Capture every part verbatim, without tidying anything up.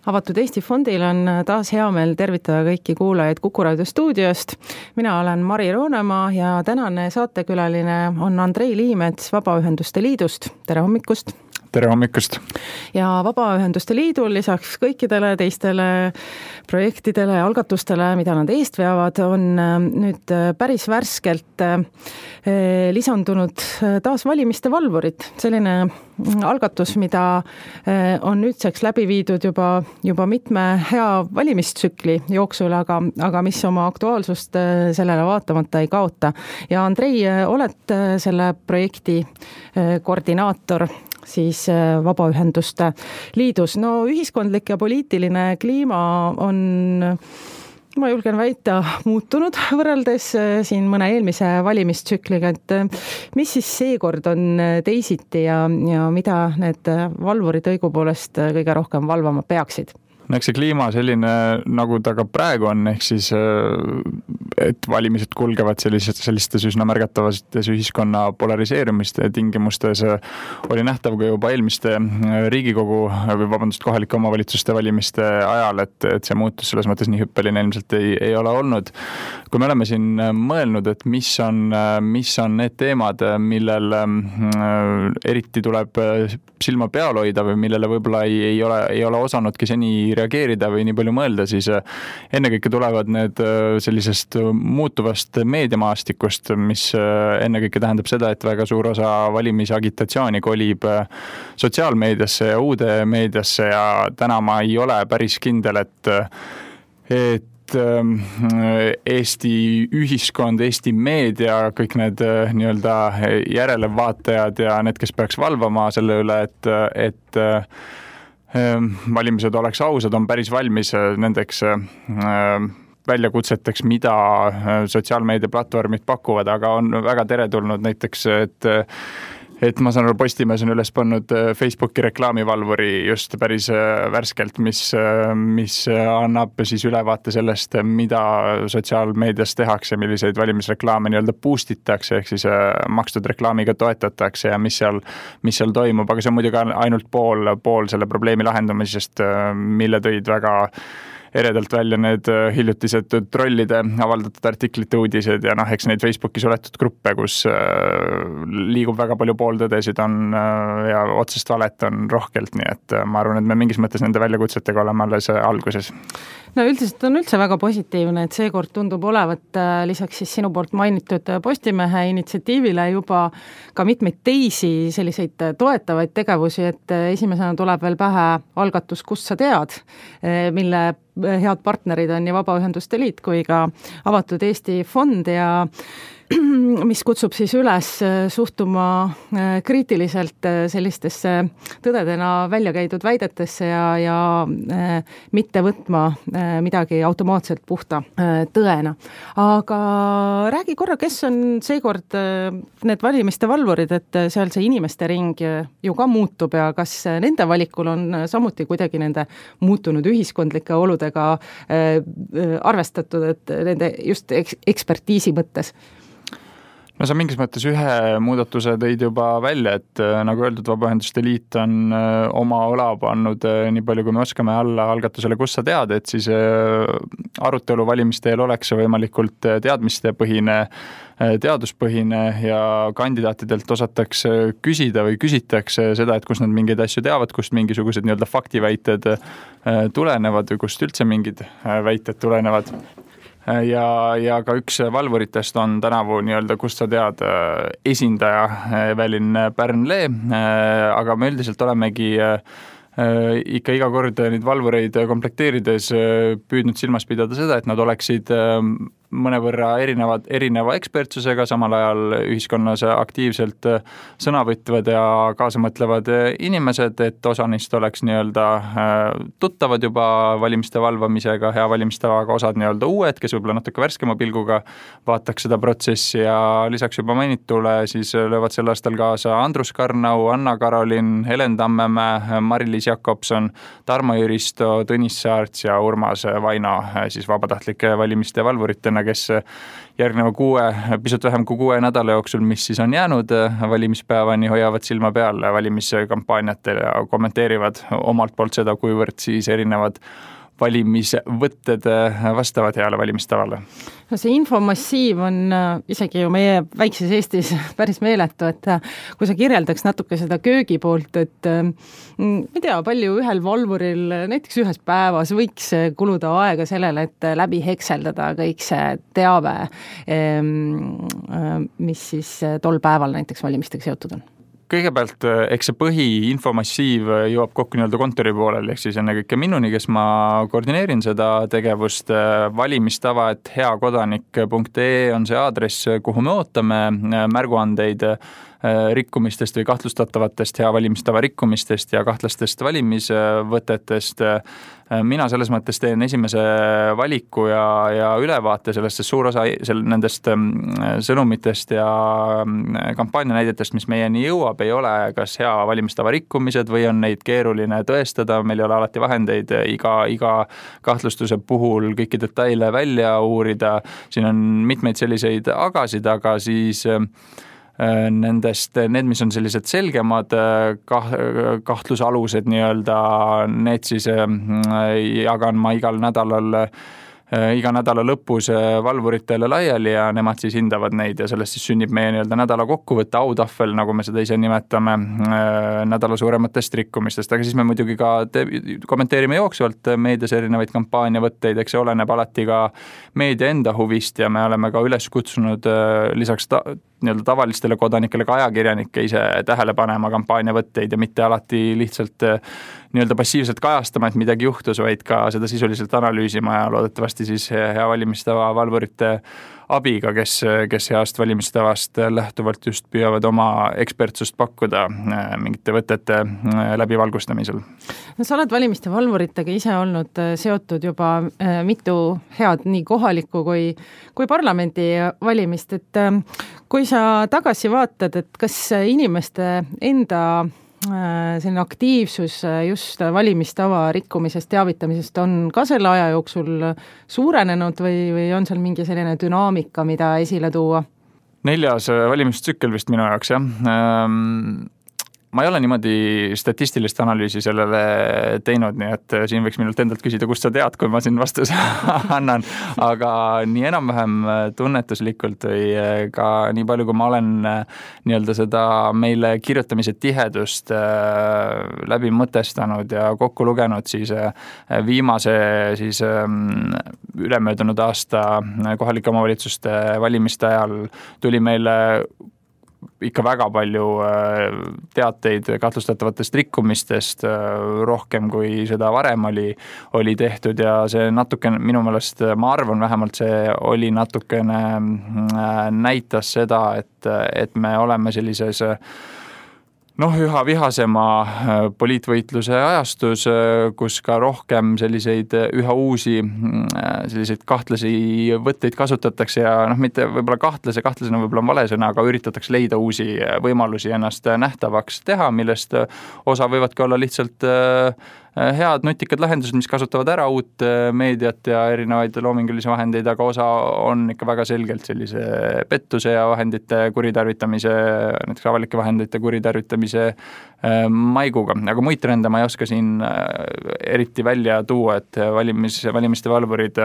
Avatud Eesti Fondil on taas hea meel tervitada kõiki kuulajaid Kuku Raadio stuudiost. Mina olen Mari Roonemaa ja tänane saatekülaline on Andrei Liimets Vabaühenduste Liidust. Tere hommikust! Tere hommikust! Ja Vabaühenduste Liidul lisaks kõikidele teistele projektidele ja algatustele, mida nad eest veavad, on nüüd päris värskelt lisandunud taas valimiste valvurid. Selline algatus, mida on nüüdseks läbi viidud juba, juba mitme hea valimistsükli jooksul, aga, aga mis oma aktuaalsust sellele vaatamata ei kaota. Ja Andrei, oled selle projekti koordinaator siis Vabaühenduste Liidus. No ühiskondlik ja poliitiline kliima on, ma julgen väita, muutunud võrreldes siin mõne eelmise valimistsükliga, et mis siis seekord on teisiti ja, ja mida need valvurid õigupoolest kõige rohkem valvama peaksid? No eks see kliima selline, nagu ta ka praegu on, ehk siis, et valimised kulgevad sellistes, sellistes üsna märgatavates ühiskonna polariseerumiste tingimustes, oli nähtav ka juba eelmiste Riigikogu või vabandust, kohalike omavalitsuste valimiste ajal, et, et see muutus selles mõttes nii hüppeline ilmselt ei, ei ole olnud. Kui me oleme siin mõelnud, et mis on, mis on need teemad, millel eriti tuleb silma peal hoida või millele võib-olla ei, ei, ole, ei ole osanudki seni reageerida või nii palju mõelda, siis ennekõike tulevad need sellisest muutuvast meediamaastikust, mis ennekõike tähendab seda, et väga suur osa valimisagitatsiooni kolib sotsiaalmeediasse ja uude meediasse ja täna ma ei ole päris kindel, et, et Eesti ühiskond, Eesti meedia, kõik need nii-öelda järelevaatajad ja need, kes peaks valvama selle üle, et, et valimised oleks ausad, on päris valmis nendeks väljakutseteks, mida sotsiaalmeediaplatvormid pakuvad, aga on väga teretulnud näiteks, et et ma saan aru, Postimees on üles pannud Facebooki reklaamivalvuri just päris värskelt, mis, mis annab siis ülevaate sellest, mida sotsiaalmeedias tehakse, milliseid valimisreklaame nii-öelda boostitakse, ehk siis makstud reklaamiga toetatakse ja mis seal, mis seal toimub, aga see on muidugi ainult pool, pool selle probleemi lahendamisest, mille tõid väga eredalt välja need hiljutised trollide avaldatud artiklite uudised ja noh, eks neid Facebooki suletud gruppe, kus liigub väga palju pooltõdesid on ja otsest valet on rohkelt, nii et ma arvan, et me mingis mõttes nende väljakutsetega oleme alles alguses. No üldiselt on üldse väga positiivne, et seekord tundub olevat lisaks siis sinu poolt mainitud Postimehe initsiatiivile juba ka mitmeid teisi selliseid toetavaid tegevusi, et esimesena tuleb veel pähe algatus, kus sa tead, mille head partnerid on nii Vabaühenduste Liit kui ka Avatud Eesti Fond ja mis kutsub siis üles suhtuma kriitiliselt sellistesse tõdedena välja käidud väidetesse ja, ja mitte võtma midagi automaatselt puhta tõena. Aga räägi korra, kes on seekord need valimiste valvurid, et seal see inimeste ring ju ka muutub ja kas nende valikul on samuti kuidagi nende muutunud ühiskondlike oludega arvestatud, et nende just ekspertiisi mõttes? No sa mingis mõttes ühe muudatuse tõid juba välja, et nagu öeldud, Vabaühenduste Liit on oma õla pannud nii palju, kui me oskame alla algatusele, kus sa tead, et siis arutelu valimiste eel oleks võimalikult teadmistepõhine, teaduspõhine ja kandidaatidelt osatakse küsida või küsitakse seda, et kus nad mingeid asju teavad, kust mingisugused nii-öelda faktiväited tulenevad või kust üldse mingid väited tulenevad. Ja, ja ka üks valvuritest on tänavu nii-öelda, kust sa tead, esindaja Evelin Pärnlee, aga me üldiselt olemegi ikka iga kord neid valvureid komplekteerides püüdnud silmas pidada seda, et nad oleksid mõnevõrra erinevad, erineva ekspertsusega, samal ajal ühiskonnas aktiivselt sõna võtvad ja kaasamõtlevad inimesed, et osa neist oleks nii-öelda tuttavad juba valimiste valvamisega, hea valimistavaga, osad nii-öelda uued, kes võib-olla natuke värskema pilguga vaataks seda protsessi ja lisaks juba mainitule siis löövad sel aastal kaasa Andrus Karnau, Anna-Karolin, Helen Tammemäe, Mari-Liis Jakobson, Tarmo Jüristo, Tõnis Saarts ja Urmas Vaino siis vabatahtlike valimiste valvuritena, erakonna, kes järgneva kuue, pisut vähem kui kuue nädala jooksul, mis siis on jäänud valimispäevani, hoiavad silma peal valimiskampaaniatel ja kommenteerivad omalt poolt seda, kuivõrd siis erinevad valimisvõtted vastavad heale valimistavale. No see infomassiiv on isegi ju meie väikses Eestis päris meeletu, et kui sa kirjeldaks natuke seda köögi poolt, et ei tea, palju ühel valvuril näiteks ühes päevas võiks kuluda aega sellele, et läbi hekseldada kõik see teave, mis siis tol päeval näiteks valimistega seotud on. Kõigepealt, eks see põhiinfomassiiv jõuab kokku nii-öelda kontori poolel, ehk siis ennekõike minuni, kes ma koordineerin seda tegevust. Valimistava, et heakodanik punkt ee on see aadress, kuhu me ootame märguandeid rikkumistest või kahtlustatavatest hea valimistava rikkumistest ja kahtlastest valimisvõtetest. Mina selles mõttes teen esimese valiku ja, ja ülevaate sellest, sest suur osa nendest sõnumitest ja kampaanianäidetest, mis meieni jõuab, ei ole kas hea valimistava rikkumised või on neid keeruline tõestada. Meil ei ole alati vahendeid iga, iga kahtlustuse puhul kõiki detaile välja uurida. Siin on mitmeid selliseid agasid, aga siis nendest, need, mis on sellised selgemad kahtlusalused nii-öelda, need siis jagan ma igal nädalal iga nädala lõpus valvuritele laiali ja nemad siis hindavad neid ja sellest siis sünnib meie nii-öelda nädala kokkuvõtte, autahvel, nagu me seda ise nimetame, nädala suurematest rikkumistest, aga siis me muidugi ka te- kommenteerime jooksvalt meedias erinevaid kampaaniavõtteid, eks see oleneb alati ka meedia enda huvist ja me oleme ka üles kutsunud lisaks ta- nii-öelda tavalistele kodanikele ka ajakirjanikke ise tähele panema kampaaniavõtteid ja mitte alati lihtsalt nii-öelda passiivselt kajastama, et midagi juhtus, vaid ka seda sisuliselt analüüsima ja loodetavasti siis hea valimistava valvurite abiga, kes, kes heast valimistavast lähtuvalt just püüavad oma ekspertsust pakkuda mingite võtete läbivalgustamisel. No, sa oled valimiste valvuritega ise olnud seotud juba mitu head nii kohalikku kui, kui parlamendi valimist, et kui sa tagasi vaatad, et kas inimeste enda selline aktiivsus just valimistava rikkumisest, teavitamisest on ka selle aja jooksul suurenenud või, või on seal mingi selline dünaamika, mida esile tuua? Neljas valimistsükkel vist minu jaoks, jah. Ma ei ole niimoodi statistilist analüüsi sellele teinud, nii et siin võiks minult endalt küsida, kust sa tead, kui ma siin vastuse annan, aga nii enam-vähem tunnetuslikult või ka nii palju, kui ma olen nii-öelda seda meile kirjutamise tihedust läbi mõtestanud ja kokku lugenud, siis viimase siis ülemöödunud aasta kohalike omavalitsuste valimiste ajal tuli meile ikka väga palju teateid kahtlustatavatest rikkumistest, rohkem kui seda varem oli, oli tehtud ja see natuke minu meelest, ma arvan vähemalt, see oli natukene näitas seda, et, et me oleme sellises noh, üha vihasema poliitvõitluse ajastus, kus ka rohkem selliseid üha uusi selliseid kahtlasi võtteid kasutatakse ja noh, mitte võib-olla kahtlase, kahtlasena võib-olla on vale sõna, aga üritatakse leida uusi võimalusi ennast nähtavaks teha, millest osa võivadki olla lihtsalt head nutikad lahendused, mis kasutavad ära uut meediat ja erinevaid loomingulisi vahendeid, aga osa on ikka väga selgelt sellise pettuse ja vahendite kuritarvitamise, näiteks avalike vahendite kuritarvitamise maiguga. Aga muid trende ma ei oska siin eriti välja tuua, et valimis, valimiste valvurid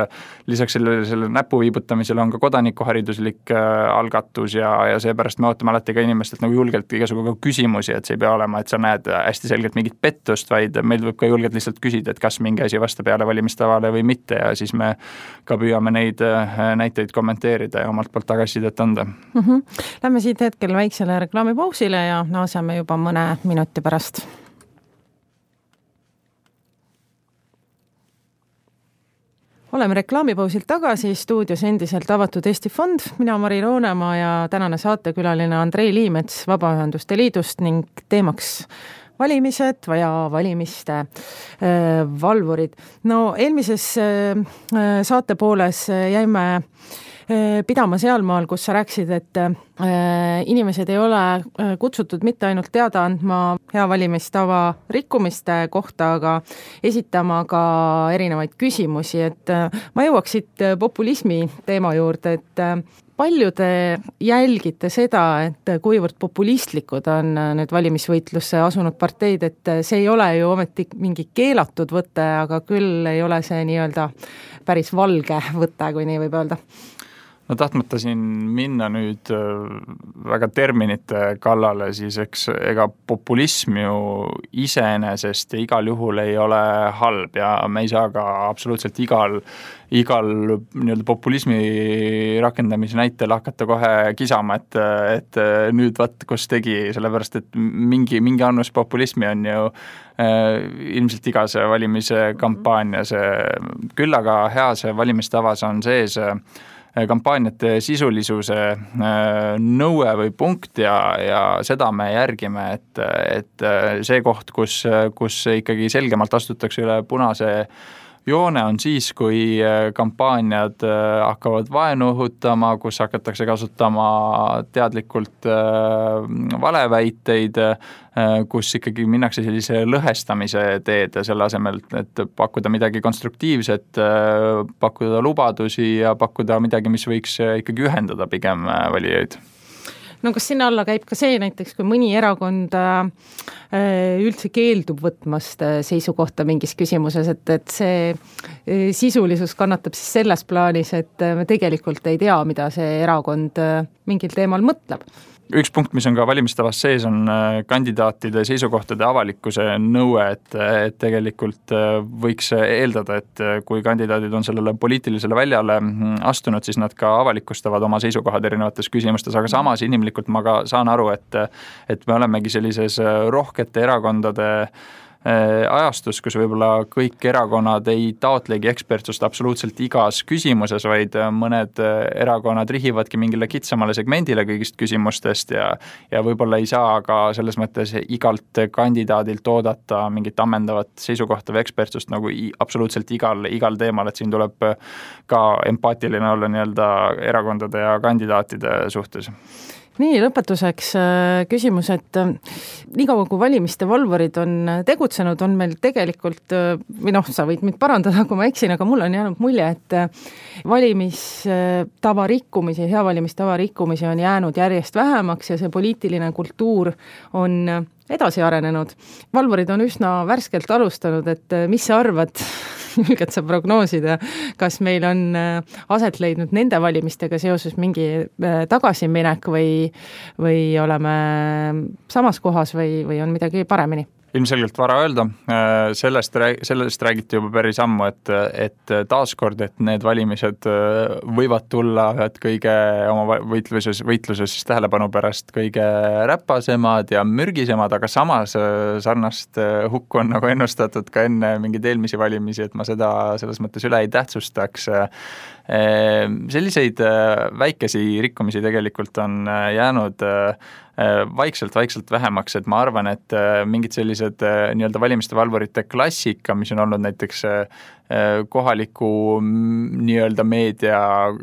lisaks sellele, sellele näpu viibutamisele on ka kodanikuhariduslik algatus ja, ja seepärast me ootame alati ka inimestelt nagu julgelt igasugu küsimusi, et see ei pea olema, et sa näed hästi selgelt mingit pettust, vaid meil võib ka julgelt lihtsalt küsida, et kas mingi asi vastab peale valimistavale või mitte ja siis me ka püüame neid näiteid kommenteerida ja omalt poolt tagasisidet anda. Mm-hmm. Lähme siit hetkel väiksele reklaamipausile ja naaseme juba mõne minuti pärast. Oleme reklaamipausilt tagasi, stuudios endiselt avatud Eesti Fond, mina Mari Roonemaa ja tänane saatekülaline Andrei Liimets Vabaühenduste Liidust ning teemaks valimised ja valimiste äh, valvurid. No eelmises äh, saate pooles jäime pidama sealmaal, kus sa rääkisid, et inimesed ei ole kutsutud mitte ainult teada andma hea valimistava rikkumiste kohta, aga esitama ka erinevaid küsimusi, et ma jõuaks siit populismi teema juurde, et palju te jälgite seda, et kuivõrd populistlikud on need valimisvõitlusse asunud parteid, et see ei ole ju ometi mingi keelatud võte, aga küll ei ole see nii-öelda päris valge võte, kui nii võib öelda. No tahtmata siin minna nüüd väga terminite kallale, siis eks ega populism ju iseenesest ja igal juhul ei ole halb ja me ei saa ka absoluutselt igal, igal nii-öelda populismi rakendamise näitel hakata kohe kisama, et, et nüüd vaat, kus tegi, sellepärast et mingi, mingi annus populismi on ju ilmselt iga see valimise kampaania, see, küll aga hea see valimistavas on sees kampaaniate sisulisuse nõue või punkt ja, ja seda me järgime, et, et see koht, kus, kus ikkagi selgemalt astutakse üle punase joone on siis, kui kampaaniad hakkavad vaenu õhutama, kus hakatakse kasutama teadlikult valeväiteid, kus ikkagi minnakse sellise lõhestamise teed selle asemel, et pakkuda midagi konstruktiivset, pakkuda lubadusi ja pakkuda midagi, mis võiks ikkagi ühendada pigem valijaid. No kas sinna alla käib ka see näiteks, kui mõni erakond üldse keeldub võtmast seisukohta mingis küsimuses, et, et see sisulisus kannatab siis selles plaanis, et me tegelikult ei tea, mida see erakond mingil teemal mõtleb? Üks punkt, mis on ka valimistavas sees, on kandidaatide seisukohtade avalikkuse nõue, et, et tegelikult võiks eeldada, et kui kandidaadid on sellele poliitilisele väljale astunud, siis nad ka avalikustavad oma seisukohad erinevates küsimustes, aga samas inimlikult ma ka saan aru, et, et me olemegi sellises rohkete erakondade ajastus, kus võib-olla kõik erakonnad ei taotlegi ekspertsust absoluutselt igas küsimuses, vaid mõned erakonnad rihivadki mingile kitsamale segmendile kõigist küsimustest ja, ja võib-olla ei saa ka selles mõttes igalt kandidaadilt oodata mingit ammendavat seisukohta või ekspertsust nagu absoluutselt igal, igal teemal, et siin tuleb ka empaatiline olla nii-öelda erakondade ja kandidaatide suhtes. Nii, lõpetuseks küsimus, et nii kaua kui valimiste valvurid on tegutsenud, on meil tegelikult, või noh, sa võid mind parandada, kui ma eksin, aga mul on jäänud mulje, et valimistava rikkumisi, hea valimistava rikkumisi on jäänud järjest vähemaks ja see poliitiline kultuur on edasi arenenud. Valvurid on üsna värskelt alustanud, et mis sa arvad, julged sa prognoosida, kas meil on aset leidnud nende valimistega seoses mingi tagasiminek või, või oleme samas kohas või, või on midagi paremini? Ilmselgelt vara öelda, sellest, sellest räägiti juba päris ammu, et, et taaskord, et need valimised võivad tulla ühed kõige oma võitluses, võitluses tähelepanu pärast kõige räpasemad ja mürgisemad, aga samas sarnast hukku on nagu ennustatud ka enne mingeid eelmisi valimisi, et ma seda selles mõttes üle ei tähtsustaks. Selliseid väikesi rikkumisi tegelikult on jäänud vaikselt-vaikselt vähemaks, et ma arvan, et mingid sellised nii-öelda valimiste valvurite klassika, mis on olnud näiteks kohaliku nii-öelda meedia,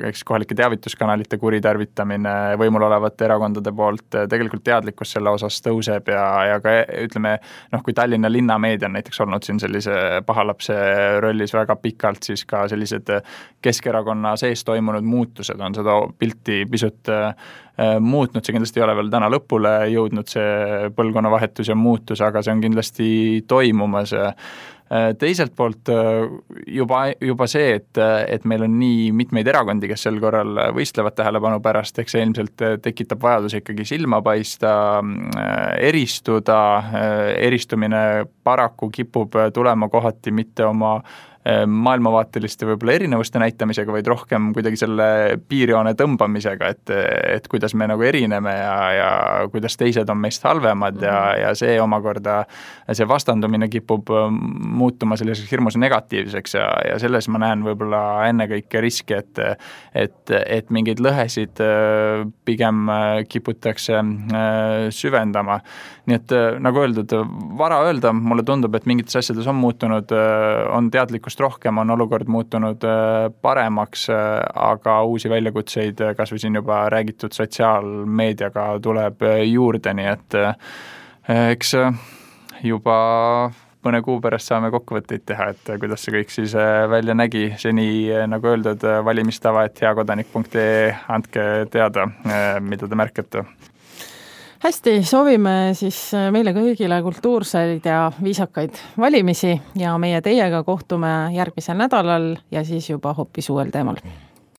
eks kohalike teavituskanalite kuritarvitamine võimul olevate erakondade poolt, tegelikult teadlikkus selle osas tõuseb ja, ja ka ütleme, noh, kui Tallinna linnameedia on näiteks olnud siin sellise pahalapse rollis väga pikalt, siis ka sellised Keskerakonna sees toimunud muutused on seda pilti pisut muutnud, see kindlasti ei ole veel täna lõpule jõudnud, see põlvkonnavahetus ja muutus, aga see on kindlasti toimumas. Teiselt poolt juba, juba see, et, et meil on nii mitmeid erakondi, kes sel korral võistlevad tähelepanu pärast, eks see ilmselt tekitab vajadus ikkagi silma paista, eristuda, eristumine paraku kipub tulema kohati mitte oma maailmavaateliste võib-olla erinevuste näitamisega, vaid rohkem kuidagi selle piirjoone tõmbamisega, et, et kuidas me nagu erineme ja, ja kuidas teised on meist halvemad ja, ja see omakorda, see vastandumine kipub muutuma selliseks hirmus negatiivseks ja, ja selles ma näen võib-olla ennekõike riski, et, et, et mingeid lõhesid pigem kiputakse süvendama. Nii et nagu öeldud, vara öelda, mulle tundub, et mingites asjades on muutunud, on teadlikkus teadlikkust rohkem, on olukord muutunud paremaks, aga uusi väljakutseid, kas või siin juba räägitud sotsiaalmeediaga tuleb juurde, nii et eks juba mõne kuu pärast saame kokkuvõtteid teha, et kuidas see kõik siis välja nägi. Seni, nagu öeldud, valimistava et heakodanik punkt ee, andke teada, mida te märkate. Hästi, soovime siis meile kõigile kultuurseid ja viisakaid valimisi ja meie teiega kohtume järgmisel nädalal ja siis juba hoopis uuel teemal.